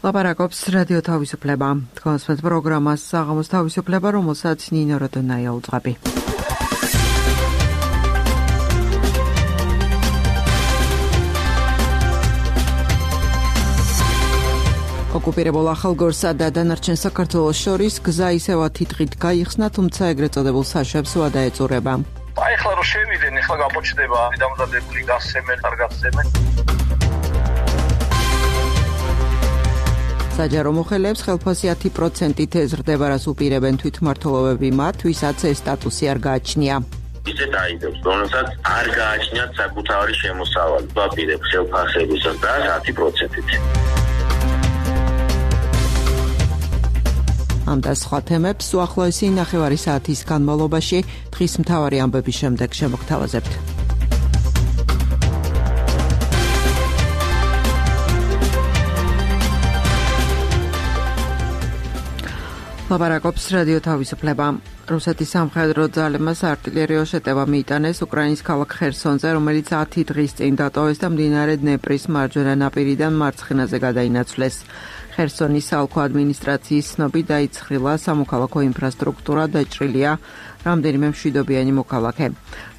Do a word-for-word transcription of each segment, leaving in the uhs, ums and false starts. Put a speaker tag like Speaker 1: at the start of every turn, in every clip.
Speaker 1: ლაპარაკობს რადიო თავისუფლება. თქვენს პროგრამას საღამოს თავისუფლება, რომელსაც ნინო როდონაია უძღვები. ოკუპირებულ ახალგორსა და დანარჩენ საქართველოს შორის გზა ისევ თითღით გაიხსნა, თუმცა ეგრეთ წოდებულ საშვებს ვადა ეწურება.
Speaker 2: აი ახლა რომ შევიდენ, ახლა გამოჩნდება დამზადებული გასცემენ, არ გასცემენ.
Speaker 1: საჯარო მოხელეებს ხელფასი პროცენტით ეზრდება, რას უპირებენ თვითმმართველობები მათ, ვისაც ეს სტატუსი არ გააჩნია.
Speaker 3: ისეთ აიდებს, რომელსაც არ გააჩნიათ საკუთარი შემოსავალი, ვაპირებ ხელფასებისას და ათი პროცენტით.
Speaker 1: ამ და სხვა თემებს უახლოესი ნახევარი საათის განმავლობაში დღის მთავარი ამბების შემდეგ შემოგთავაზებთ. ლაპარაკობს რადიო თავისუფლება. რუსეთის სამხედრო ძალებმა საარტილერიო შეტევა მიიტანეს უკრაინის ქალაქ ხერსონზე, რომელიც ათი დღის წინ დატოვეს და მდინარე დნეპრის მარჯვენა ნაპირიდან მარცხენაზე გადაინაცვლეს. ხერსონის საოლქო ადმინისტრაციის ცნობით დაიცხრილა სამოქალაქო ინფრასტრუქტურა, დაჭრილია რამდენიმე მშვიდობიანი მოქალაქე.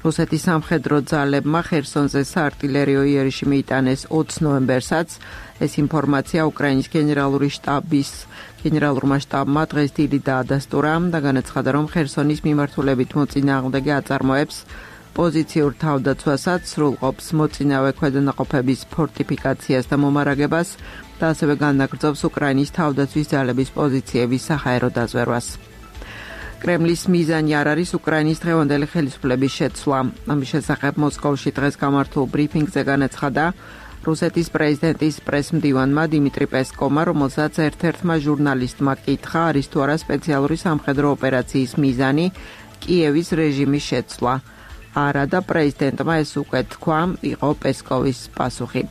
Speaker 1: რუსეთის სამხედრო ძალებმა ხერსონზე საარტილერიო იერიში მიიტანეს ოცი ნოემბერსაც. ეს ინფორმაცია უკრაინის გენერალური შტაბის გენერალურმა შტაბმა დღეს დილით დაადასტურა და განაცხადა, რომ ხერსონის მიმართულებით მოწინააღმდეგე აწარმოებს პოზიციურ თავდაცვასაც, სრულყოფს მოწინავე ქვედანაყოფების ფორტიფიკაციას და მომარაგებას და ასევე განაგრძობს უკრაინის თავდაცვის ძალების პოზიციების საჰაერო დაზვერვას. კრემლის მიზანი არ არის უკრაინის დღევანდელი ხელისუფლების შეცვლა. ამის შესახებ მოსკოვში დღეს გამართულ ბრიფინგზე განაცხადა რუსეთის პრეზიდენტის პრესმდივანმა დიმიტრი პესკოვმა, რომელსაც ერთ-ერთმა ჟურნალისტმა კითხა, არის თუ არა სპეციალური სამხედრო ოპერაციის მიზანი კიევის რეჟიმის შეცვლა. არა და პრეზიდენტმა ეს უკვე თქვა, იყო პესკოვის პასუხი.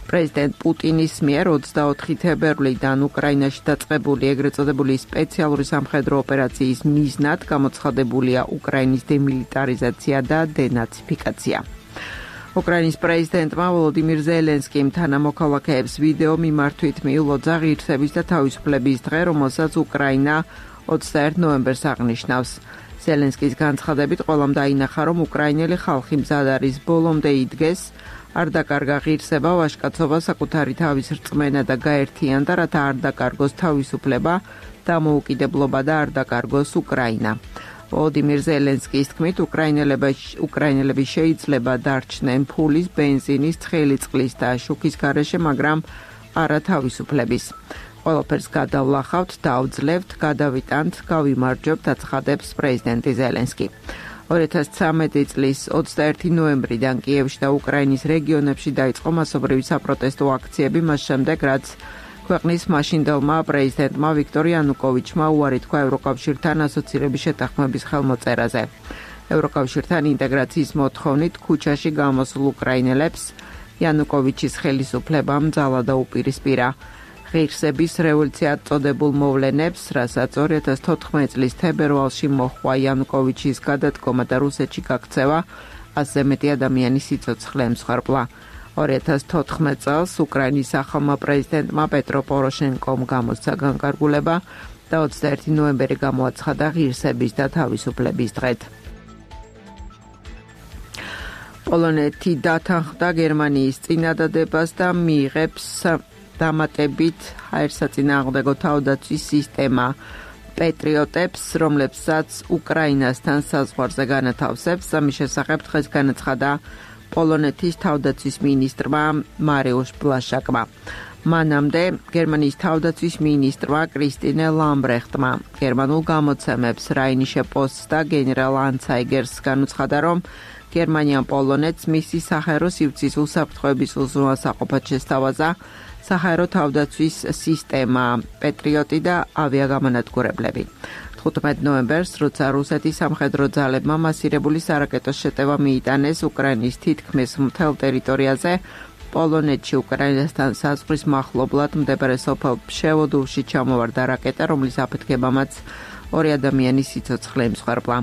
Speaker 1: პრეზიდენტ პუტინის მიერ ოცდაოთხი თებერვლიდან უკრაინაში დაწყებული ეგრეთ წოდებული სპეციალური სამხედრო ოპერაციის მიზნად გამოცხადებულია უკრაინის დემილიტარიზაცია და დენაციფიკაცია. უკრაინის პრეზიდენტმა ვოლოდიმირ ზელენსკიმ თანამოქალაქეებს ვიდეო მიმართვით მიულოძა ღირსების და თავისუფლების დღე, რომელსაც უკრაინა ოცდაერთი ნოემბერს აღნიშნავს. ზელენსკის განცხადებით ყველამ დაინახა, რომ უკრაინელი ხალხი მზად არის ბოლომდე იდგეს, არ დაკარგა ღირსება, ვაჟკაცობა, საკუთარი თავის რწმენა და გაერთიანდა, რათა არ დაკარგოს თავისუფლება, დამოუკიდებლობა და არ დაკარგოს უკრაინა. ვოლოდიმირ ზელენსკის თქმით, უკრაინელები შეიძლება დარჩნენ ფულის, ბენზინის, ცხელი წყლის და შუქის გარეშე, მაგრამ არა თავისუფლების. ყველაფერს გადავლახავთ, დავძლევთ, გადავიტანთ, გავიმარჯვებთ, აცხადებს პრეზიდენტი ზელენსკი. ორი ათას ცხრამეტი წლის ოცდაერთი ნოემბრიდან კიევში და უკრაინის რეგიონებში დაიწყო მასობრივი საპროტესტო აქციები, მას შემდეგ, რაც ქვეყნის მაშინდელმა პრეზიდენტმა ვიქტორ იანუკოვიჩმა უარი თქვა ევროკავშირთან ასოცირების შეთანხმების ხელმოწერაზე. ევროკავშირთან ინტეგრაციის მოთხოვნით ქუჩაში გამოსულ უკრაინელებს იანუკოვიჩის ხელისუფლებამ ძალა და უპირისპირა. ღირსების რევოლუციად წოდებულ მოვლენებს, რასაც ორი ათას თოთხმეტი წლის თებერვალში მოჰყვა იანუკოვიჩის გადადგომა და რუსეთში გაქცევა, ასზე მეტი ადამიანი სიცოცხლე ემსხვერპლა. ორი ათას თოთხმეტი წელს უკრაინის ახალმა პრეზიდენტმა პეტრო პოროშენკომ გამოსცა განკარგულება და ოცდაერთი ნოემბერი გამოაცხადა ღირსების და თავისუფლების დღედ. პოლონეთი დათანხმდა გერმანიის წინადადებას და მიიღებს დამატებით ჰაერსაწინააღმდეგო თავდაცვის სისტემა პეტრიოტებს, რომლებსაც უკრაინასთან საზღვარზე განათავსებს. ამის შესახებ დღეს განაცხადა პოლონეთის თავდაცვის მინისტრმა მარიუშ ბლაშაკმა. მანამდე გერმანიის თავდაცვის მინისტრმა კრისტინე ლამბრეხტმა გერმანულ გამოცემებს რაინიშე პოსტს და გენერალ ანცაიგერს განუცხადა, რომ გერმანიამ პოლონეთს მისი საჰაერო სივრცის უსაფრთხოების უზრუნველსაყოფად შესთავაზა საჰაერო თავდაცვის სისტემა პეტრიოტი და ავიაგამანადგურებლები. თხუთმეტი ნოემბერს, როცა რუსეთის სამხედრო ძალებმა მასირებული სარაკეტო შეტევა მიიტანეს უკრაინის თითქმის მთელ ტერიტორიაზე, პოლონეთში უკრაინასთან საზღვრის მახლობლად მდებარე სოფელ ფშევოდოვში ჩამოვარდა რაკეტა, რომლის აფეთქებამაც ორი ადამიანის სიცოცხლე ემსხვერპლა.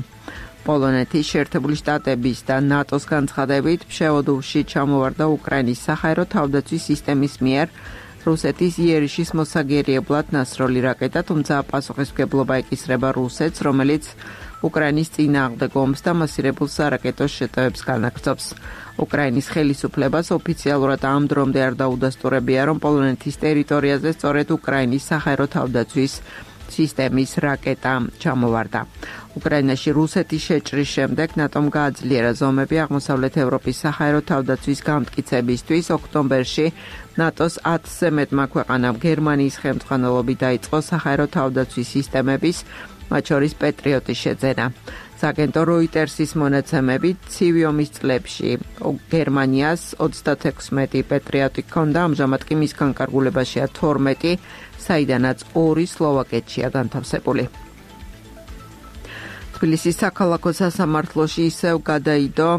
Speaker 1: პოლონეთის შეერთებული შტატების და ნატოს განცხადებით, ფშევოდოვში ჩამოვარდა უკრაინის საჰაერო თავდაცვის სისტემის მიერ რუსეთის იერიშის მოსაგერიებლად ნასროლი რაკეტა, თუმცა პასუხისმგებლობა ეკისრება რუსეთს, რომელიც უკრაინის წინააღმდეგ ომს და მასირებულ სარაკეტო შეტევებს განაგრძობს. უკრაინის ხელისუფლებას ოფიციალურად ამ დრომდე არ დაუდასტურებია, რომ პოლონეთის ტერიტორიაზე სწორედ უკრაინის საჰაერო თავდაცვის სისტემის რაკეტა ჩამოვარდა. უკრაინაში რუსეთის შეჭრის შემდეგ ნატომ გააძლიერა ზომები აღმოსავლეთ ევროპის საჰაერო თავდაცვის გამტკიცებისთვის. ოქტომბერში ნატოს ათზე მეტმა ქვეყანამ გერმანიის ხელმძღვანელობით დაიწყო საჰაერო თავდაცვის სისტემების, მათ შორის პეტრიოტის შეძენა. სააგენტო როიტერსის მონაცემებით, ცივი ომის წლებში გერმანიას ოცდათექვსმეტი პეტრიოტი ჰქონდა, ამჟამად კი მის განკარგულებაშია თორმეტი, საიდანაც ორი სლოვაკეთშია განთავსებული. თბილისის საქალაქო სასამართლოში ისევ გადაიდო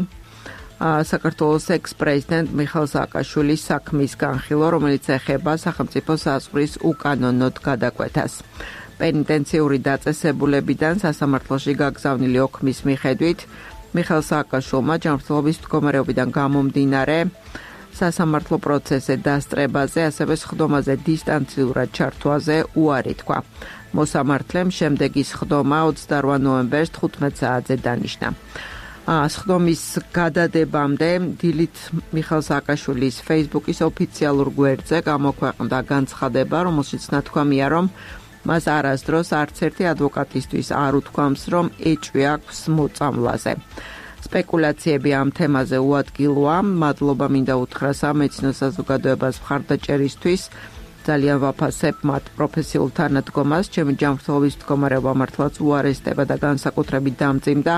Speaker 1: საქართველოს ექს-პრეზიდენტ მიხეილ სააკაშვილის საქმის განხილვა, რომელიც ეხება სახელმწიფო საზღვრის უკანონოდ გადაკვეთას. პენიტენციური დაწესებულებიდან სასამართლოში გაგზავნილი ოქმის მიხედვით მიხეილ სააკაშვილმა ჯანმრთელობის მდგომარეობიდან გამომდინარე სასამართლო პროცესზე დასწრებაზე, ასევე სხდომაზე დისტანციურად ჩართვაზე უარი თქვა. მოსამართლემ შემდეგი სხდომა ოცდაოთხ ნოემბერს თხუთმეტ საათზე დანიშნა. სხდომის გადადებამდე დილით მიხეილ სააკაშვილის Facebook-ის ოფიციალურ გვერდზე გამოქვეყნდა განცხადება, რომელშიც ნათქვამია, რომ მას არასდროს არც ერთი ადვოკატისთვის არ უთქვამს, რომ ეჭვი აქვს მოწამვლაზე. სპეკულაციები ამ თემაზე უადგილოა. მადლობა მინდა უთხრა სამედიცინო საზოგადოებას მხარდაჭერისთვის. ძალიან ვაფასებ მათ პროფესიულ თანადგომას. ჩემი ჯანმრთელობის მდგომარეობა მართლაც უარესდება და განსაკუთრებით დამძიმდა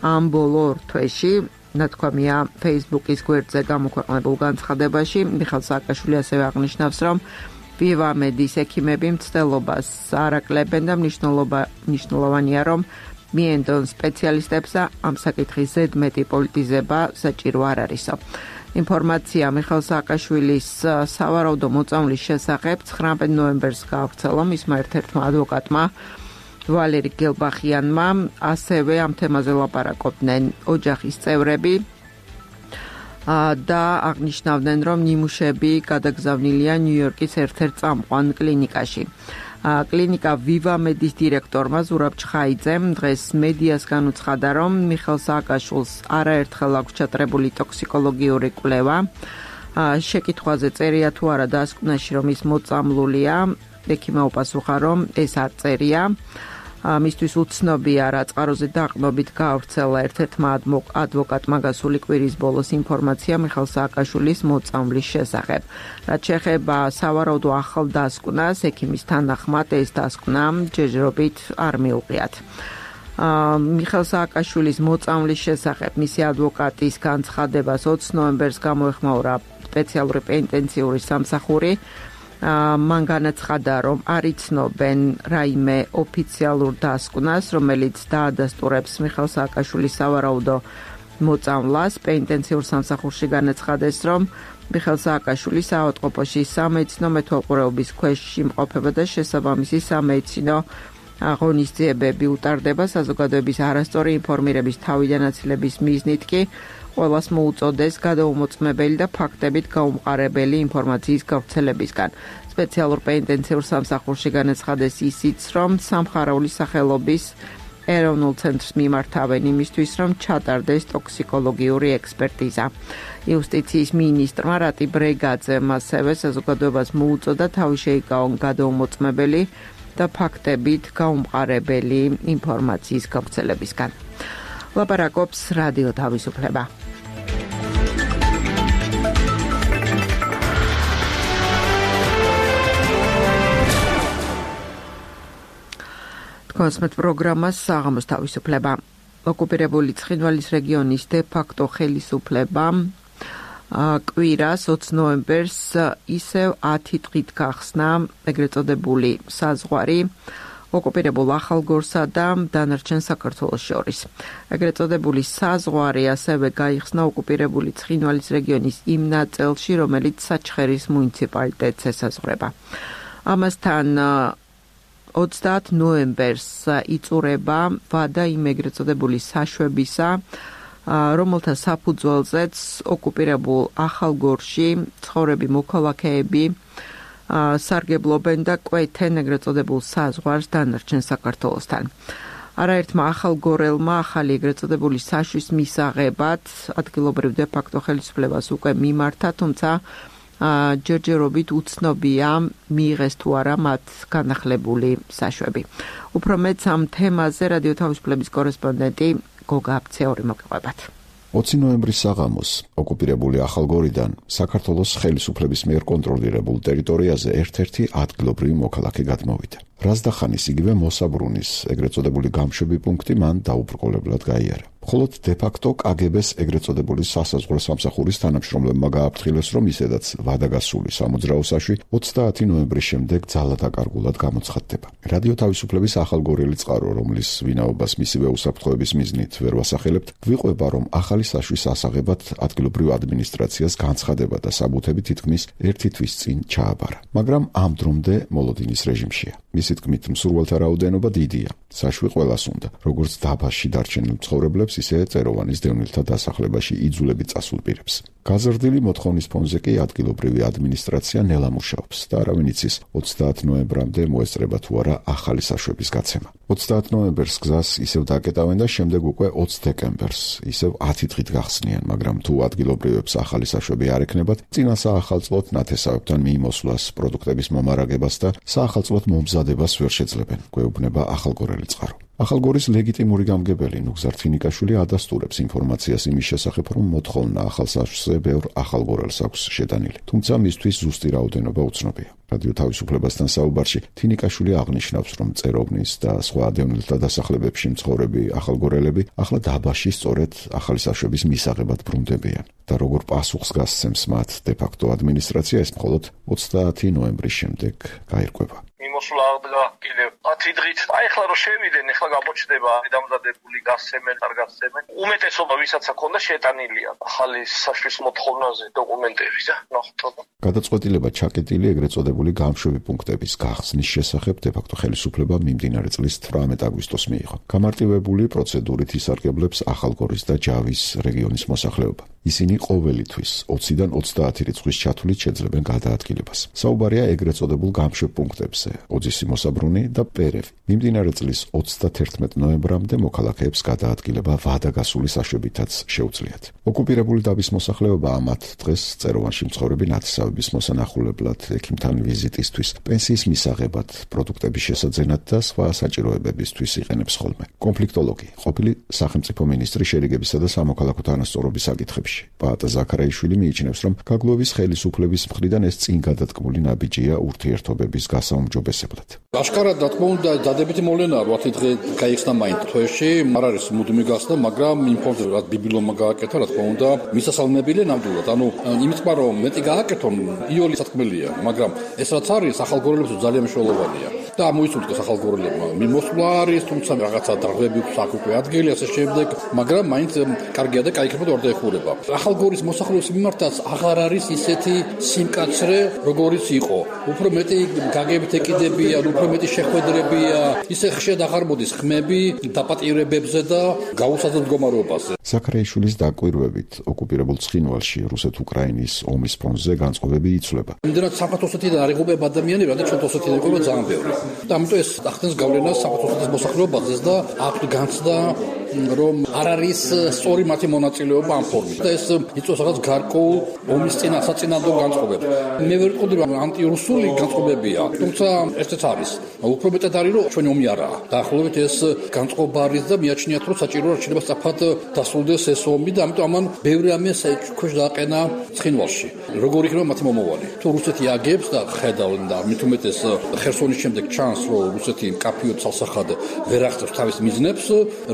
Speaker 1: ამ ბოლო ორ თვეში. ნათქვამია Facebook-ის გვერდზე გამოქვეყნებულ განცხადებაში. მიხეილ სააკაშვილი ასევე აღნიშნავს, რომ ვივამედის ექიმები მცდელობას არ აკლებენ და მნიშვნელოვანია, რომ მიენდონ სპეციალისტებს და ამ საკითხის ზედმეტი პოლიტიზება საჭირო არ არისო. ინფორმაცია მიხეილ სააკაშვილის სავარაუდო მოწამვლის შესახებ ცხრამეტ ნოემბერს გაავრცელა მისმა ერთ-ერთმა ადვოკატმა ვალერი გელბახიანმა, ასევე ამ თემაზე ლაპარაკობდნენ ოჯახის წევრები და აღნიშნავდნენ, რომ ნიმუშები გადაგზავნილია ნიუ-იორკის ერთ-ერთ წამყვან კლინიკაში. კლინიკა ვივამედის დირექტორმა ზურაბ ჩხაიძემ დღეს მედიას განუცხადა, რომ მიხეილ სააკაშვილს არაერთხელ აქვს ჩატარებული ტოქსიკოლოგიური კვლევა. შეკითხვაზე წერია თუ არა დასკვნაში, რომ ის მოწამლულია, ექიმმა უპასუხა, რომ ეს არ წერია. მისთვის უცნობია რა წყაროზე დაყრდნობით გაავრცელა ერთ-ერთმა ადვოკატმა გასული კვირის ბოლოს ინფორმაცია მიხეილ სააკაშვილის მოწამვლის შესახებ. რაც შეეხება სავარაუდო ახალ დასკვნას, ექიმის თანახმად ეს დასკვნა ჯერჯერობით არ მიუღიათ. მიხეილ სააკაშვილის მოწამვლის შესახებ მისი ადვოკატის განცხადებას ოცდაოთხ ნოემბერს გამოეხმაურა სპეციალური პენიტენციური სამსახური. მან განაცხადა, რომ არ იცნობენ რაიმე ოფიციალურ დასკვნას, რომელიც დაადასტურებს მიხეილ სააკაშვილის სავარაუდო მოწამვლას. პენიტენციურ სამსახურში განაცხადეს, რომ მიხეილ სააკაშვილი საავადმყოფოში სამედიცინო მეთვალყურეობის ქვეშ იმყოფება და შესაბამისი სამედიცინო ღონისძიებები უტარდება. საზოგადოების არასწორი ინფორმირების თავიდანაცილების მიზნით კი ყველას მოუწოდეს გადაუმოწმებელი და ფაქტებით გაუმყარებელი ინფორმაციის გავრცელებისგან. სპეციალურ პენიტენციურ სამსახურში განაცხადეს ისიც, რომ სამხარაულის სახელობის ეროვნულ ცენტრს მიმართავენ იმისთვის, რომ ჩატარდეს ტოქსიკოლოგიური ექსპერტიზა. იუსტიციის მინისტრმა რატი ბრეგაძემ ასევე საზოგადოებას მოუწოდა თავი შეიკავონ გადაუმოწმებელი და ფაქტებით გაუმყარებელი ინფორმაციის გავრცელებისგან. ლაპარაკობს რადიო თავისუფლება. კონსმეთ პროგრამას საღამოს თავისუფლება. ოკუპირებული ცხინვალის რეგიონის დე-ფაქტო ხელისუფლება კვირას ოცდაოთხ ნოემბერს ისევ ათი დღით გახსნა ეგრეთ წოდებული საზღვარი ოკუპირებულ ახალგორსა და დანარჩენ საქართველოს შორის. ეგრეთ წოდებული საზღვარი ასევე გაიხსნა ოკუპირებული ცხინვალის რეგიონის იმ ნაწილში, რომელიც საჩხერის მუნიციპალიტეტს ესაზღვრება. ამასთან ოცდაათი ნოემბერს იწურება ვადა იმ ეგრეთ წოდებული საშვებისა, რომელთა საფუძველზეც ოკუპირებულ ახალგორში ცხოვრები მოქალაქეები სარგებლობენ და კვეთენ ეგრეთ წოდებულ საზღვარს დანარჩენ საქართველოსთან. არაერთმა ახალგორელმა ახალი ეგრეთ წოდებული საშვის მისაღებად ადგილობრივ დე-ფაქტო ხელისუფლებას უკვე მიმართა, თუმცა ჯერჯერობით უცნობია მიიღეს თუ არა მათ განახლებული საშვები. უფრო მეტს ამ თემაზე რადიო თავისუფლების კორესპონდენტი გოგა აბცეორი მოგიყვებათ.
Speaker 4: ოცი ნოემბრის საღამოს ოკუპირებული ახალგორიდან საქართველოს ხელისუფლების მიერ კონტროლირებულ ტერიტორიაზე ერთ-ერთი ადგილობრივი მოქალაქე გადმოვიდა. რაზდახანის იგივე მოსაბრუნის ეგრეთ წოდებული გამშვები პუნქტი მან დაუბრკოლებლად გაიარა. მხოლოდ დე-ფაქტო კაგებეს ეგრეთ წოდებული სასაზღვრო სამსახურის თანამშრომლებმა გააფრთხილეს, რომ ისედაც ვადაგასული სამოძრაო საშვი ოცდაათი ნოემბრის შემდეგ ძალადაკარგულად გამოცხადდება. რადიო თავისუფლების ახალგორელი წყარო, რომლის ვინაობას მისივე უსაფრთხოების მიზნით ვერ ვასახელებთ, გვიყვება, რომ ახალი საშვის ასაღებად ადგილობრივ ადმინისტრაციას განცხადება და საბუთები თითქმის ერთი თვის წინ ჩააბარა. მაგრამ ამ დრომდე მოლოდინის რეჟიმშია. მისი თქმით, მსურველთა რაოდენობა დიდია. საშვი ყველას უნდა, როგორც დაბაში დარჩენილ მცხოვრებლებს, ისე წეროვანის დევნილთა დასახლებაში იძულებით წასულ პირებს. გაზრდილი მოთხოვნის ფონზე კი ადგილობრივი ადმინისტრაცია ნელა მუშაობს და არავინ იცის ოცდაათ ნოემბრამდე მოესწრება თუ არა ახალი საშვების გაცემა. ოცდაათ ნოემბერს გზას ისევ დაკეტავენ და შემდეგ უკვე ოცი დეკემბერს ისევ ათი დღით გახსნიან, მაგრამ თუ ადგილობრივებს ახალი საშვები არ ექნებათ, წინა საახალწლოდ ნათესავებთან მიიმოსვლას, პროდუქტების მომარაგებას და საახალწლოდ მომზადებას ვერ შეძლებენ, გვეუბნება ახალგორელი წყარო. ახალგორის ლეგიტიმური გამგებელი ნუგზარ თინიკაშვილი ადასტურებს ინფორმაციას იმის შესახებ, რომ მოთხოვნა ახალ საშვზე ბევრ ახალგორელს აქვს შეტანილი, თუმცა მისთვის ზუსტი რაოდენობა უცნობია. რადიო თავისუფლებასთან საუბარში თინიკაშვილი აღნიშნავს, რომ წეროვნის და სხვა დევნილთა დასახლებებში მცხოვრები ახალგორელები ახლა დაბაში სწორედ ახალი საშვების მისაღებად ბრუნდებიან და როგორ პასუხს გასცემს მათ დე-ფაქტო ადმინისტრაცია, ეს მხოლოდ ოცდაათი ნოემბრის შემდეგ გაირკვევა.
Speaker 2: მიმოსვლა აღდგა კიდევ ათი დღით. აი ახლა რომ შევიდენ, ახლა გამოჩნდება დამზადებული გასცემენ, არ გასცემენ. უმეტესობა ვისაც აქონდა შეტანილია ახალი საშვის მოთხოვნაზე დოკუმენტები და ნახოთ.
Speaker 4: გადაწყვეტილება ჩაკეტილი ეგრეთ წოდებული გამშვები პუნქტების გახსნის შესახებ დე-ფაქტო ხელისუფლება მიმდინარე წლის თვრამეტ აგვისტოს მიიღო. გამარტივებული პროცედურით ისარგებლებს ახალგორის და ჯავის რეგიონის მოსახლეობა. ისინი ყოველთვის ოციდან ოცდაათი რიცხვის ჩათვლით შეძლებენ გადაადგილებას. საუბარია ეგრეთ წოდებულ გამშვებ პუნქტებზე, ოძისი მოსაბრუნი და პერევი. მიმდინარე წლის ოცდათერთმეტ ნოემბრამდე მოქალაქეებს გადაადგილება ვადაგასული საშვებითაც შეუძლიათ. ოკუპირებული დაბის მოსახლეობა ამათ დღეს წეროვანში მცხოვრები ნათესავების მოსანახულებლად, ექიმთან ვიზიტისთვის, პენსიის მისაღებად, პროდუქტების შესაძენად და სხვა საჭიროებებისთვის იყენებს ხოლმე. კონფლიქტოლოგი, ყოფილი სახელმწიფო მინისტრი შერიგებისა და სამოქალაქო თანასწორობის საკითხებში პაატა ზაქარაიშვილი მიიჩნევს, რომ გაგლოვის ხელისუფლების მხრიდან ეს წინ გადადგმული ნაბიჯია ურთიერთობების გასაუმჯობესებლად.
Speaker 5: აშკარად რა თქმა უნდა დადებითი მოვლენაა, რომ ათი დღე გაიხსნა მაინც თვეში, არ არის მუდმივი გახსნა, მაგრამ იმ ფონზე რაც ბიბილომა გააკეთა, რა თქმა უნდა, მისასალმებელია ნამდვილად. ანუ იმით პარო მეტი გააკეთონ, იოლი სათქმელია, მაგრამ ეს რაც არის ახალგორელებს ძალიან მნიშვნელოვანია. და მოიწოდოს ახალგორელებმა მიმოსვლა არის, თუმცა რაღაცა დროები საკუთრე ადგილი ასე შემდეგ, მაგრამ მაინც კარგია და кайქება არ დაეხურება. ახალგორის მოსახლეობის მიმართაც აღარ არის ისეთი სიმკაცრე, როგორიც იყო. უფრო მეტი გაგებით ეკიდებიან, უფრო მეტი შეხვედრებია, ისე ხშირად აღარ მოდის ხმები დაპატიმრებებზე და გაუსაძლებელ მდგომარეობაზე.
Speaker 4: ზაქარაიშვილის დაკვირვებით, ოკუპირებულ ცხინვალში რუსეთ-უკრაინის ომის ფონზე განწყობები იცვლება.
Speaker 5: იმდენად საქართველოსთან არ იღუპება ადამიანები, რადგან ჩვენ თოსეთიდან იღუპება ძალიან ბევრი. და ამიტომ ეს ახდენს გავლენას საქართველოს მოსახლეობაზე და აქვს განცდა, რომ არ არის სწორი მათი მონაწილეობა ამ ფორმით. და ეს იწვევს რაღაც გარკვეულ ომის წინა საწინააღმდეგო განწყობებს. მე ვერ ვიტყოდი, რომ ანტირუსული განწყობებია, თუმცა ესეც არის. უფრო მეტად არის, რომ ჩვენი ომი არაა. დაახლოებით ეს განწყობა არის და მიაჩნიათ, რომ საჭიროა რჩენება სწრაფად დასრულდეს ეს ომი და ამიტომ ამან ბევრი ამის ქვეშ დააყენა ცხინვალში. როგორ იქნება მათი მომავალი? თუ რუსეთი აგებს და ხედავენ და მით უმეტეს ხერსონის შემდეგ ჩანს, რომ რუსეთი მკაფიოდ ცალსახად ვერ აღწევს თავის მიზნებს,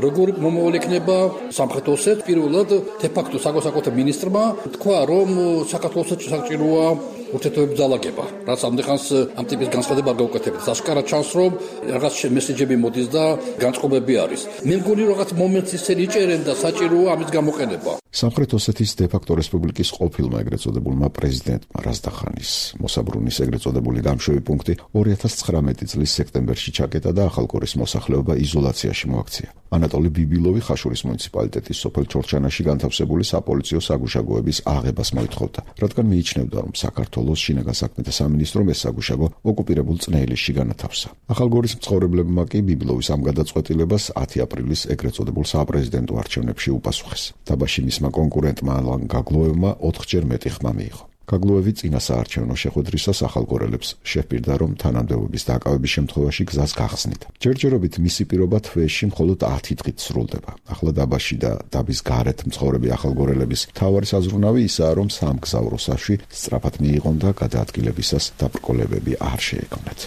Speaker 5: როგორი მომავალი იქნება სამხრეთ ოსეთ? პირველად დე-ფაქტო საგოსაკუთრებო მინისტრმა თქვა, რომ საქართველოს საჭიროა ურთიერთობების ძალაგება, რაც ამდენხანს ამ ტიპის განცხადება არ გაუკეთებთ. აშკარად ჩანს, რომ რაღაც მესეჯები მოდის და განწყობები არის. მე მგონი, რომ რაღაც მომენტს ისე იჭერენ და საჭიროა ამის გამოყენება.
Speaker 4: სამხრეთ ოსეთის დე-ფაქტო რესპუბლიკის ყოფილმა ეგრეთ წოდებულმა პრეზიდენტმა რაზდახანის მოსაბრუნის ეგრეთ წოდებული გამშვები პუნქტი ორი ათას ცხრამეტი წლის სექტემბერში ჩაკეტა და ახალგორის მოსახლეობა იზოლაციაში მოაქცია. ანატოლი ბიბილოვი ხაშურის მუნიციპალიტეტის სოფელ ჩორჩანაში განთავსებული საპოლიციო საგუშაგოების აღებას მოითხოვდა, რადგან მიიჩნევდა, რომ საქართველოს შინაგან საქმეთა სამინისტრომ ეს საგუშაგო ოკუპირებულ წნეილისში განათავსა. ახალგორის მცხოვრებლებმა კი ბიბილოვის ამ გადაწყვეტილებას ათი აპრილის ეგრეთ წოდებულ საპრეზიდენტო არჩევნებში უპასუხეს. დაბაში მისმა კონკურენტმა ალან გაგლოევმა ოთხჯერ მეტი ხმა მიიღო. გაგლოევი წინა საარჩევნო შეხვედრისას ახალგორელებს შეჰპირდა, რომ თანამდებობის დაკავების შემთხვევაში გზას გახსნით. ჯერჯერობით მისი პირობა თვეში მხოლოდ ათი დღით სრულდება. ახლა დაბაში და დაბის გარეთ მცხოვრები ახალგორელების მთავარი საზრუნავი ისაა, რომ სამგზავრო საშვი სწრაფად მიიღონ და გადაადგილებისას დაბრკოლებები არ შეექმნათ.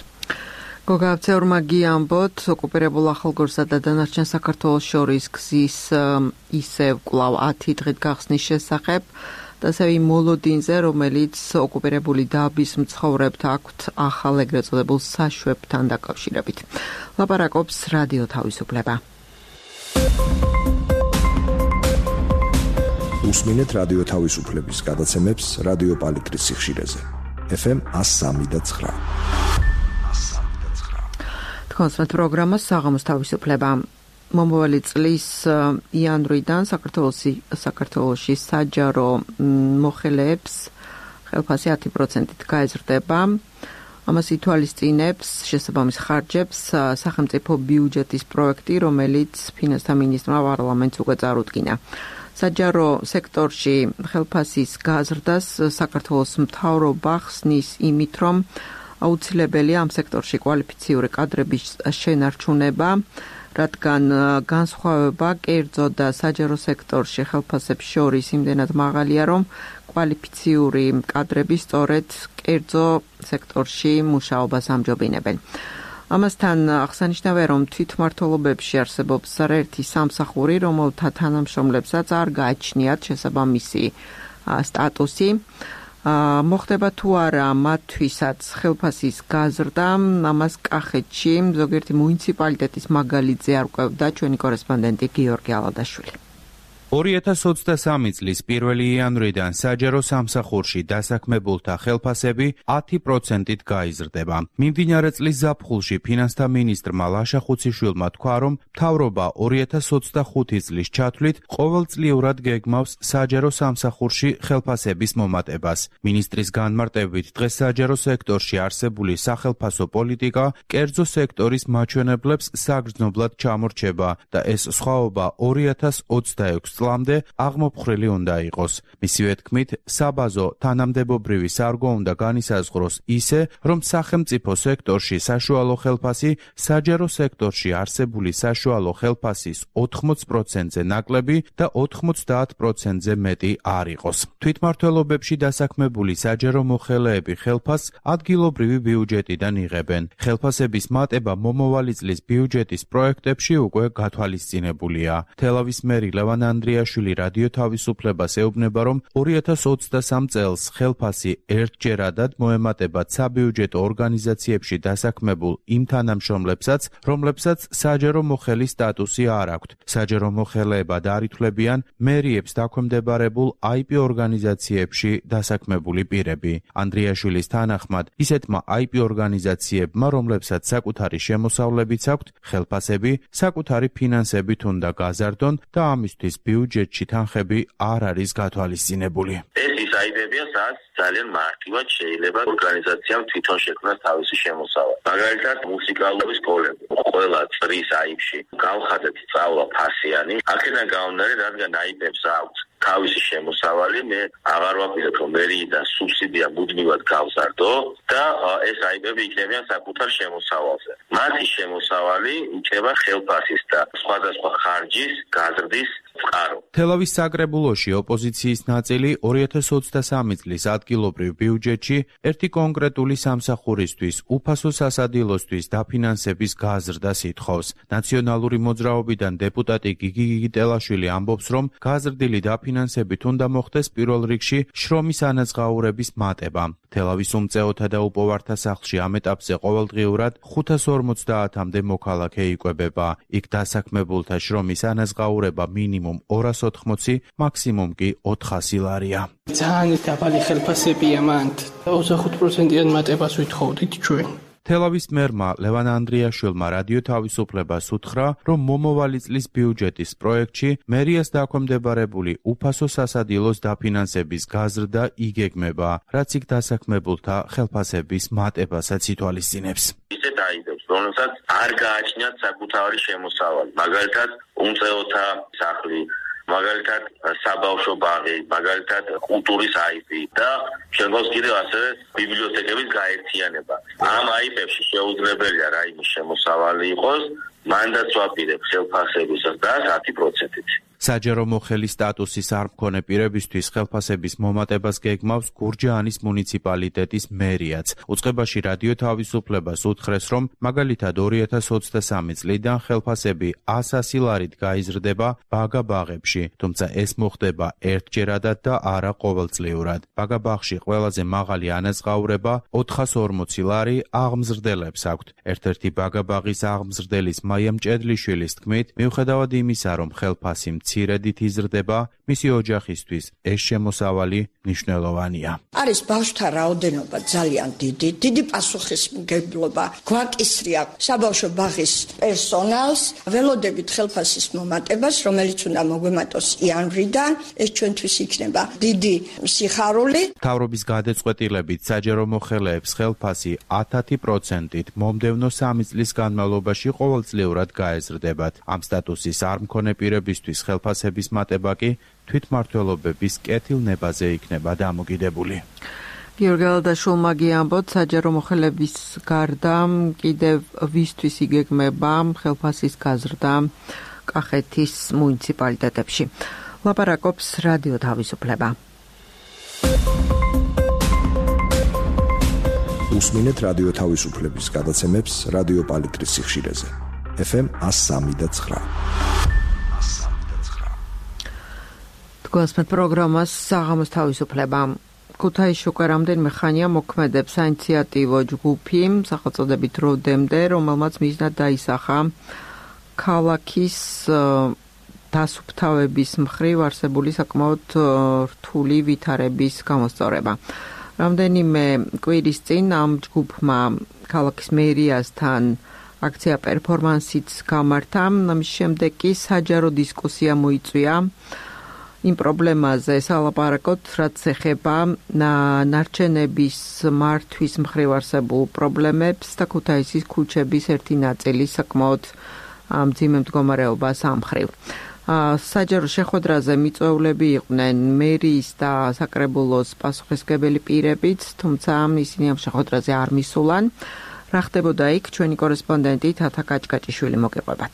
Speaker 1: გოგა აბცეურმა გიამბოთ, ოკუპირებულ ახალგორსა და დანარჩენ საქართველოს შორის გზის ისევ კვლავ ათი დღით გახსნის შესახებ და ასევე იმ მოლოდინზე, რომელიც ოკუპირებული დაბის მცხოვრებთ აქვთ ახალ ეგრეთ წოდებულ საშვებთან დაკავშირებით. ლაპარაკობს რადიო თავისუფლება.
Speaker 6: უსმინეთ რადიო თავისუფლების გადაცემებს რადიო პალიტრის სიხშირეზე. ეფ ემ ას სამი და ცხრა.
Speaker 1: კონსერტ პროგრამა საღამოს თავისუფლება. მომავალი წლის იანვრიდან საქართველოსი საქართველოში საჯარო მოხელეებს ხელფასი ათი პროცენტით გაეზრდება. ამას ითვალისწინებს შესაბამის ხარჯებს სახელმწიფო ბიუჯეტის პროექტი, რომელიც ფინანსთა მინისტრმა პარლამენტს უკვე წარუდგინა. საჯარო სექტორში ხელფასის გაზრდას საქართველოს მთავრობა ხსნის იმით, რომ აუცილებელია ამ სექტორში კვალიფიციური კადრების შენარჩუნება, რადგან განსხვავება კერძო და საჯარო სექტორში ხელფასებს შორის იმდენად მაღალია, რომ კვალიფიციური კადრები სწორედ კერძო სექტორში მუშაობას ამჯობინებენ. ამასთან აღსანიშნავია, რომ თვითმმართველობებში არსებობს ერთი სამსახური, რომელთა თანამშრომლებსაც არ გააჩნიათ შესაბამისი სტატუსი. მოხდება თუ არა მათთვისაც ხელფასის გაზრდა, ამას კახეთში ზოგიერთი მუნიციპალიტეტის მაგალითზე არკვევდა ჩვენი კორესპონდენტი გიორგი ალადაშვილი.
Speaker 7: ორი ათას ოცდასამი წლის პირველი იანვრიდან საჯარო სამსახურში დასაქმებულთა ხელფასები ათი პროცენტით გაიზრდება. მიმდინარე წლის ზაფხულში ფინანსთა მინისტრმა ლაშა ხუციშვილმა თქვა, რომ მთავრობა ორი ათას ოცდახუთი წლის ჩათვლით ყოველწლიურად გეგმავს საჯარო სამსახურში ხელფასების მომატებას. მინისტრის განმარტებით, დღეს საჯარო სექტორში არსებული სახელფასო პოლიტიკა კერძო სექტორის მაჩვენებლებს საგრძნობლად ჩამორჩება და ეს სხვაობა ორი ათას ოცდაექვსი წლამდე აღმოფხრილი უნდა იყოს. მისივე თქმით, საბაზო თანამდებობრივი სარგო უნდა განისაზღვროს ისე, რომ სახელმწიფო სექტორში საშუალო ხელფასი საჯარო სექტორში არსებული საშუალო ხელფასის ოთხმოც პროცენტზე ნაკლები და ოთხმოცდაათ პროცენტზე მეტი არ იყოს. თვითმმართველობებში დასაქმებული საჯარო მოხელეები ხელფასს ადგილობრივი ბიუჯეტიდან იღებენ. ხელფასების მატება მომავალი წლის ბიუჯეტის პროექტებში უკვე გათვალისწინებულია. თელავის მერი ლევან ანდრიაშვილი რადიო თავისუფლებას ეუბნება, რომ ორი ათას ოცდასამ წელს ხელფასი ერთჯერადად მოემატებათ საბიუჯეტო ორგანიზაციებში დასაქმებულ იმ თანამშრომლებსაც, რომლებსაც საჯარო მოხელის სტატუსი არ აქვთ. საჯარო მოხელეებად არ ითვლებიან მერიებს დაქვემდებარებულ აი პი ორგანიზაციებში დასაქმებული პირები. ანდრიაშვილის თანახმად, ისეთმა აი პი ორგანიზაციებმა, რომლებსაც საკუთარი შემოსავლებიც აქვთ, ხელფასები საკუთარი ფინანსებით უნდა გაზარდონ და ამისთვის ბიუჯეტში თანხები არ არის გათვალისწინებული.
Speaker 3: ეს ის აი პი-ებია, სადაც ძალიან მარტივად შეიძლება ორგანიზაციამ თვითონ შექმნას თავისი შემოსავალი. მაგალითად, მუსიკალური სკოლები. ყველა წრის აი პი-ში გავხადეთ სწავლა ფასიანი. აქედან გამომდინარე, რადგან აი პი-ებს აქვს თავისი შემოსავალი, მე აღარ ვაპირებ, რომ მერიიდან სუბსიდია მუდმივად გავზარდო და ეს აი პი-ები იქნებიან საკუთარ შემოსავალზე. მათი შემოსავალი იქნება ხელფასის და სხვადასხვა ხარჯის გაზრდის წყარო.
Speaker 7: თელავის საკრებულოში ოპოზიციის ნაწილი ორი ათას ოცდასამი წლის ადგილობრივ ბიუჯეტში ერთი კონკრეტული სამსახურისთვის უფასო სასადილოსთვის დაფინანსების გაზრდას ითხოვს. ნაციონალური მოძრაობიდან დეპუტატი გიგი გიგიტელაშვილი ამბობს, რომ გაზრდილი დაფინანსება დაფინანსებით უნდა მოხდეს პირველ რიგში შრომის ანაზღაურების მატება. თელავის უმწეოთა და უპოვართა სახლში ამ ეტაპზე ყოველდღიურად ხუთას ორმოცდაათამდე მოქალაქე იკვებება. იქ დასაქმებულთა შრომის ანაზღაურება მინიმუმ ორას ოთხმოცი, მაქსიმუმ კი ოთხასი ლარია.
Speaker 8: ძალიან დაბალი ხელფასებია მანდ. ოცდახუთ პროცენტიან მატებას ვითხოვდით ჩვენ.
Speaker 7: თელავის მერმა ლევან ანდრიაშვილმა რადიო თავისუფლებას უთხრა, რომ მომავალი წლის ბიუჯეტის პროექტში მერიას დაქვემდებარებული უფასო სასადილოს დაფინანსების გაზრდა იგეგმება, რაც იქ დასაქმებულთა ხელფასების მატებასაც ითვალისწინებს.
Speaker 3: ისე დაიდებს, რომელსაც არ გააჩნიათ საკუთარი შემოსავალი, მაგალითად უმწეოთა სახლი, მაგალითად საბავშვო ბაღი, მაგალითად კულტურის აიფი და შემდგომს კიდევ ასევე ბიბლიოთეკების გაერთიანება. ამ აიფებში შეუძლებელია რაიმე შემოსავალი იყოს, მანდაც ვაპირებ ხელფასებისას და ათი პროცენტით.
Speaker 7: საჯარო მოხელის სტატუსის არ მქონე პირებისთვის ხელფასების მომატებას გეგმავს გურჯაანის მუნიციპალიტეტის მერიაც. უწყებაში რადიო თავისუფლებას უთხრეს, რომ მაგალითად ორი ათას ოცდასამი წლიდან ხელფასები ასი ლარით გაიზრდება ბაგა ბაღებში, თუმცა ეს მოხდება ერთჯერადად და არა ყოველწლიურად. ბაგა ბაღში ყველაზე მაღალი ანაზღაურება ოთხას ორმოცი ლარი აღმზრდელებს აქვთ. ერთ-ერთი ბაგა ბაღის აღმზრდელის მაია მჭედლიშვილის თქმით, მიუხედავად იმისა, რომ ხელფასი მცირედით იზრდება, მისი ოჯახისთვის ეს შემოსავალი მნიშვნელოვანია.
Speaker 9: არის ბავშვთა რაოდენობა ძალიან დიდი, დიდი პასუხისმგებლობა გვაკისრია საბავშვო ბაღის პერსონალს, ველოდებით ხელფასის მომატებას, რომელიც უნდა მოგვემატოს იანვრიდან, ეს ჩვენთვის იქნება დიდი სიხარული.
Speaker 7: მთავრობის გადაწყვეტილებით საჯარო მოხელეებს ხელფასი ათი პროცენტით მომდევნო სამი წლის განმავლობაში ყოველწლიურად გაეზრდებათ. ამ სტატუსის არ მქონე პირებისთვის ხელფასების მატება კი თვითმმართველობების კეთილნებაზე იქნება დამოკიდებული.
Speaker 1: გიორგი ალდაშულმა გიამბოთ, საჯარო მოხელების გარდა კიდევ ვისთვის იგეგმება ხელფასის გაზრდა კახეთის მუნიციპალიტეტებში. ლაპარაკობს რადიო თავისუფლება.
Speaker 6: უსმინეთ რადიო თავისუფლების გადაცემებს რადიო პალიტრის სიხშირეზე. ეფ ემ ას სამი და ცხრა.
Speaker 1: გვასმეთ პროგრამას საღამოს თავისუფლება. ქუთაისში უკვე რამდენიმე ხანია მოქმედებს საინიციატივო ჯგუფი სახელწოდებით როდემდე, რომელმაც მიზნად დაისახა ქალაქის დასუფთავების მხრივ არსებული საკმაოდ რთული ვითარების გამოსწორება. რამდენიმე კვირის წინ ამ ჯგუფმა ქალაქის მერიასთან აქცია პერფორმანსიც გამართა, ამის შემდეგ კი საჯარო დისკუსია მოიწვია იმ პრობლემაზე სალაპარაკოთ, რაც ეხება ნარჩენების მართვის მხრივ არსებულ პრობლემებს და ქუთაისის ქუჩების ერთი ნაწილის საკმაოდ მძიმე მდგომარეობას ამ მხრივ. საჯარო შეხვედრაზე მიწვეულები იყვნენ მერიის და საკრებულოს პასუხისმგებელი პირებიც, თუმცა ისინი ამ შეხვედრაზე არ მისულან. რა ხდებოდა იქ, ჩვენი კორესპონდენტი თათა კაჭკაჭიშვილი მოგეყვებათ.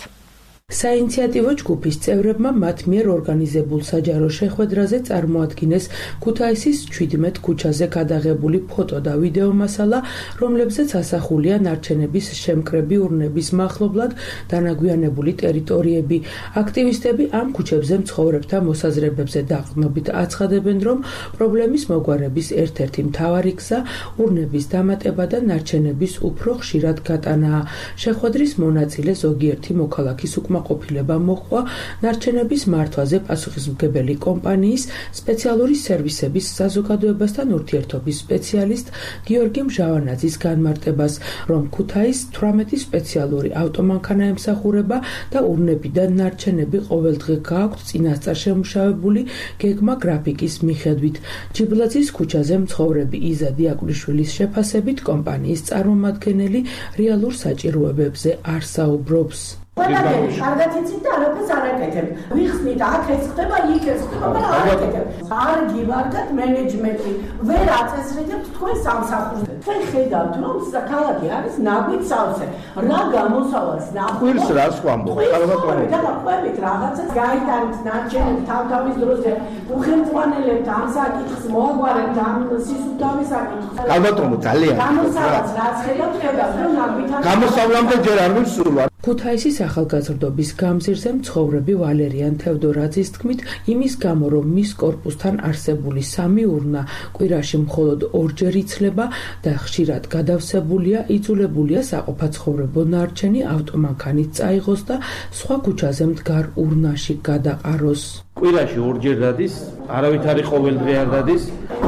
Speaker 10: საინიციატივო ჯგუფის წევრებმა მათ მიერ ორგანიზებულ საჯარო შეხვედრაზე წარმოადგინეს ქუთაისის ჩვიდმეტ ქუჩაზე გადაღებული ფოტო და ვიდეო მასალა, რომლებზეც ასახულია ნარჩენების შემკრები ურნების მახლობლად დანაგვიანებული ტერიტორიები. აქტივისტები ამ ქუჩებზე მცხოვრებთა მოსაზრებებზე დაყრდნობით აცხადებენ, რომ პრობლემის მოგვარების ერთ-ერთი მთავარი გზა ურნების დამატება და ნარჩენების უფრო ხშირად გატანაა. შეხვედრის მონაწილე ზოგიერთი მოქალაქის უკმაყოფილება მოჰყვა ნარჩენების მართვაზე პასუხისმგებელი კომპანიის სპეციალური სერვისების საზოგადოებასთან ურთიერთობის სპეციალისტ გიორგი მჟავანაძის განმარტებას, რომ ქუთაის თვრამეტი სპეციალური ავტომანქანა ემსახურება და ურნებიდან ნარჩენები ყოველდღე გააქვთ წინასწარ შემუშავებული გეგმა გრაფიკის მიხედვით. ჯიბლაძის ქუჩაზე მცხოვრები იზა დიაკვნიშვილის შეფასებით კომპანიის წარმომადგენელი რეალურ საჭიროებებზე არ საუბრობს.
Speaker 11: ყველაფერი კარგად იცით და არაფერს არ აკეთებ. ვიხსნით, აქ ეს ხდება, იქ ეს ხდება, მაგრამ არ აკეთებ. არ გივარდათ მენეჯმენტი, ვერ აწესრიგებთ თქვენ სამსახურს. თქვენ ხედავთ, რომ ქალაქი არის ნაგვით სავსე. რა გამოსავალს ნახოთ?
Speaker 12: ხვილს რას ვამბობ?
Speaker 11: კარგად დაყვებით რაღაცას გაიტანეთ ნარჩენებს თავთავის დროზე. უხელწვანელებთ ამ საკითხს, მოაგვარებთ ამ სისუფთავის საკითხს.
Speaker 12: ალბათ რომ ძალიან
Speaker 11: გამოსავალს რაც ხედავთ, ხედავთ, რომ ნაგვით
Speaker 12: გამოსავლამდე ჯერ არ მისულა.
Speaker 10: ქუთაისის ახალგაზრდობის გამზირზე მცხოვრები ვალერიან თევდორაძის თქმით, იმის გამო, რომ მის კორპუსთან არსებული სამი ურნა კვირაში მხოლოდ ორჯერ იცლება და ხშირად გადავსებულია, იძულებულია საყოფაცხოვრებო ნარჩენი ავტომანქანით წაიღოს და სხვა ქუჩაზე მდგარ ურნაში გადაყაროს.
Speaker 12: კვირაში ორჯერ დადის, არავითარი ყოველდღე არ დადის,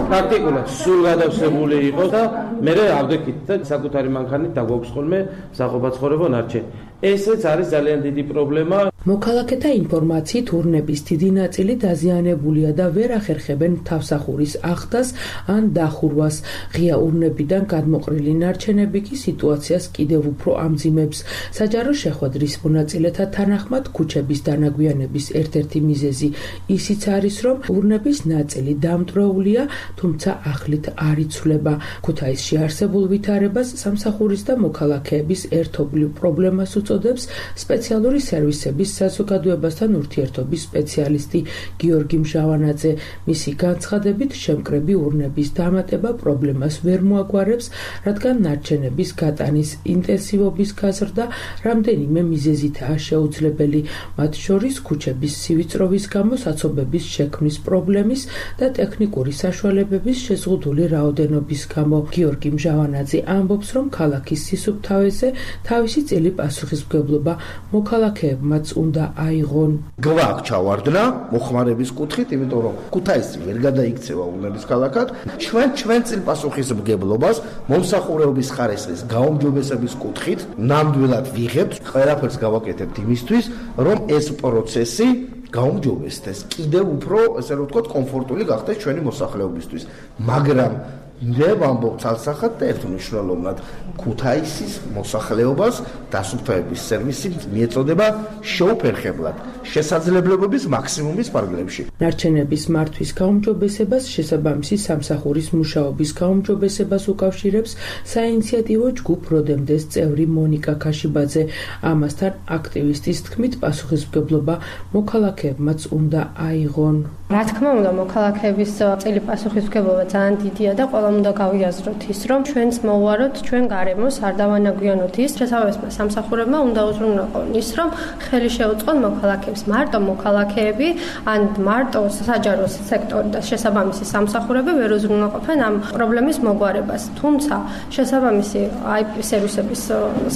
Speaker 12: პრაქტიკულად სულ გადავსებული იყო და მე ავდექით და საკუთარი მანქანით დაგვაქვს ხოლმე საყოფაცხოვრებო ნარჩენი. ესეც არის ძალიან დიდი პრობლემა.
Speaker 10: მოქალაქეთა ინფორმაციით ურნების დიდი ნაწილი დაზიანებულია და ვერ ახერხებენ თავსახურის ახდას ან დახურვას. ღია ურნებიდან გადმოყრილი ნარჩენები კი სიტუაციას კიდევ უფრო ამძიმებს. საჯარო შეხვედრის მონაწილეთა თანახმად ქუჩების დანაგვიანების ერთ-ერთი მიზეზი ისიც არის, რომ ურნების ნაწილი დამტვრეულია, თუმცა ახლით არ იცვლება. ქუთაისში არსებულ ვითარებას სამსახურის და მოქალაქეების ერთობლივ პრობლემას უწოდებს სპეციალური სერვისების საზოგადოებასთან ურთიერთობის სპეციალისტი გიორგი მჟავანაძე. მისი განცხადებით, შემკრები ურნების დამატება პრობლემას ვერ მოაგვარებს, რადგან ნარჩენების გატანის ინტენსივობის გაზრდა რამდენიმე მიზეზითაა შეუძლებელი, მათ შორის ქუჩების სივიწროვის გამო საცობების შექმნის პრობლემის და ტექნიკური საშუალებების შეზღუდული რაოდენობის გამო. გიორგი მჟავანაძე ამბობს, რომ ქალაქის სისუფთავეზე თავისი წილი პასუხისმგებლობა მოქალაქეებმაც უნდა აიღონ.
Speaker 13: გვაქვს ჩავარდნა მოხმარების კუთხით, იმიტომ რომ ქუთაისი ვერ გადაიქცევა ურნების ქალაქად. ჩვენ ჩვენ წინ პასუხისმგებლობას მომსახურების ხარისხის გაუმჯობესების კუთხით ნამდვილად ვიღებთ. ყველაფერს გავაკეთებთ იმისთვის, რომ ეს პროცესი გაუმჯობესდეს, კიდევ უფრო, ესე რომ ვთქვათ, კომფორტული გახდეს ჩვენი მოსახლეობისთვის. მაგრამ მე ვამბობ ცალსახად და ერთმნიშვნელოვნად, ქუთაისის მოსახლეობას დასუფთავების სერვისი მიეწოდება შეუფერხებლად, შესაძლებლობების მაქსიმუმის ფარგლებში.
Speaker 10: ნარჩენების მართვის გაუმჯობესებას შესაბამისი სამსახურის მუშაობის გაუმჯობესებას უკავშირებს საინიციატივო ჯგუფ როდემდეს წევრი მონიკა ქაშიბაძე. ამასთან აქტივისტის თქმით, პასუხისმგებლობა მოქალაქეებმაც უნდა აიღონ.
Speaker 14: რა თქმა უნდა, მოქალაქეების წილი პასუხისმგებლობა ძალიან დიდია და ყველა უნდა გავიაზროთ ის, რომ ჩვენც მოვუაროთ ჩვენ გარემოს, არ დავანაგვიანოთ ის, შესაბამისმა სამსახურებმა უნდა უზრუნველყონ ის, რომ ხელი შეუწყონ მოქალაქეებს. მარტო მოქალაქეები ან მარტო საჯარო სექტორი და შესაბამისი სამსახურები ვერ უზრუნველყოფენ ამ პრობლემის მოგვარებას. თუმცა შესაბამისი აი პი სერვისების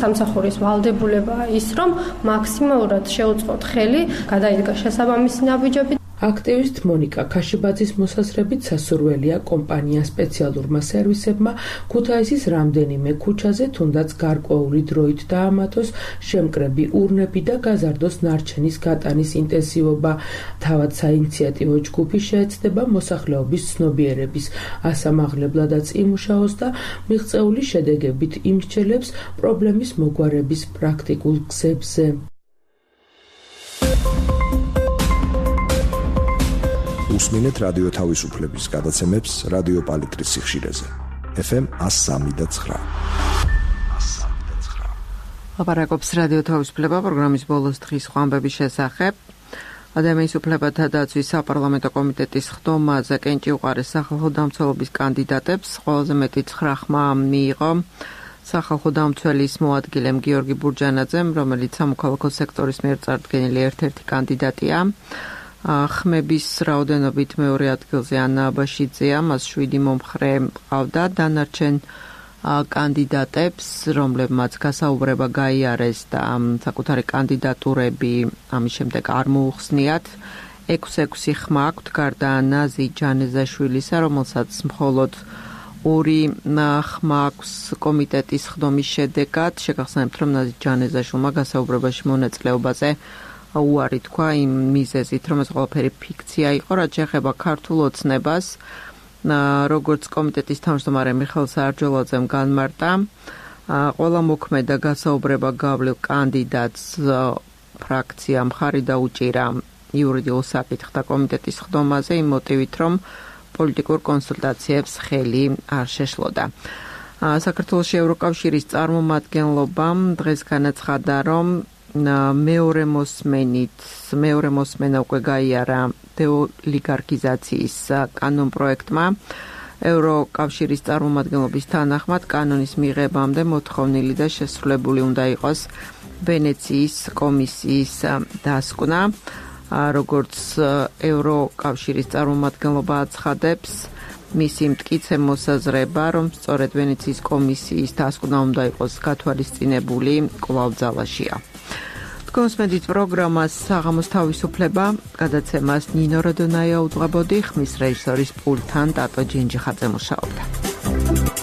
Speaker 14: სამსახურის ვალდებულებაა ის, რომ მაქსიმალურად შეუწყოთ ხელი, გადაიდგა შესაბამისი ნაბიჯები.
Speaker 10: აქტივისტ მონიკა ქაშიბაძის მოსაზრებით სასურველია კომპანია სპეციალურმა სერვისებმა ქუთაისის რამდენიმე ქუჩაზე თუნდაც გარკვეული დროით დაამატოს შემკრები ურნები და გაზარდოს ნარჩენის გატანის ინტენსივობა. თავად საინიციატივო ჯგუფი შეეცდება მოსახლეობის ცნობიერების ასამაღლებლადაც იმუშაოს და მიღწეული შედეგებით იმსჯელებს პრობლემის მოგვარების პრაქტიკულ გზებზე.
Speaker 6: უსმინეთ რადიო თავისუფლების გადაცემებს რადიო პალიტრის სიხშირეზე. ეფ ემ one oh three და nine.
Speaker 1: აპარაკობს რადიო თავისუფლება პროგრამის ბოლოს დღის ხვამბების შესახებ. ადამიანის უფლებათა დაცვის საპარლამენტო კომიტეტის ხდომაზე კენჭი უყარეს სახალხო დამცველობის კანდიდატებს. ყველაზე მეტი ცხრა ხმა მიიღო სახალხო დამცველის მოადგილემ გიორგი ბურჯანაძემ, რომელიც სამოქალაქო სექტორის მიერ წარდგენილი ერთ-ერთი კანდიდატია. ხმების რაოდენობით მეორე ადგილზე ანა აბაშიძეა, მას შვიდი მომხრე ყავდა. დანარჩენ კანდიდატებს, რომლებმაც გასაუბრება გაიარეს და საკუთარი კანდიდატურები ამის შემდეგ არ მოუხსნიათ. ექვსი-ექვსი ხმა აქვთ გარდა ანაზი ჯანეზაშვილისა, რომელსაც მხოლოდ ორი ხმა აქვს კომიტეტის ხდომის შედეგად. შეგახსენებთ, რომ ნაზი ჯანეზაშვილმა გასაუბრებაში მონაწილეობაზე უარი თქვა იმ მიზეზით, რომ ეს ყველაფერი ფიქცია იყო, რაც შეეხება ქართულ ოცნებას. როგორც კომიტეტის თავმჯდომარე მიხეილ საარჯოლაძემ განმარტა, ყველა მოქმედა გასაუბრება გავლილ კანდიდატს ფრაქცია მხარი დაუჭირა იურიდიულ საკითხთა კომიტეტის ხდომაზე იმ მოტივით, რომ პოლიტიკურ კონსულტაციებს ხელი არ შეშლოდა. საქართველოს ევროკავშირის წარმომადგენლობამ დღეს განაცხადა, რომ მეორე მოსმენით, მეორე მოსმენა უკვე გაიარა დეოლიგარქიზაციის კანონპროექტმა ევროკავშირის წარმომადგენლობის თანახმად კანონის მიღებამდე მოთხოვნილი და შესრულებული უნდა იყოს ვენეციის კომისიის დასკვნა, როგორც ევროკავშირის წარმომადგენლობა აცხადებს, მისი მტკიცე მოსაზრება, რომ სწორედ ვენეციის კომისიის დასკვნა უნდა იყოს გათვალისწინებული კვლავ ძალაშია. კონსმედით პროგრამას საღამოს თავისუფლება, გადაცემას ნინო როდონაია უძღვებოდი, ხმის რეჟისორის პულტთან ტატო ჯინჯიხაძე მუშაობდა.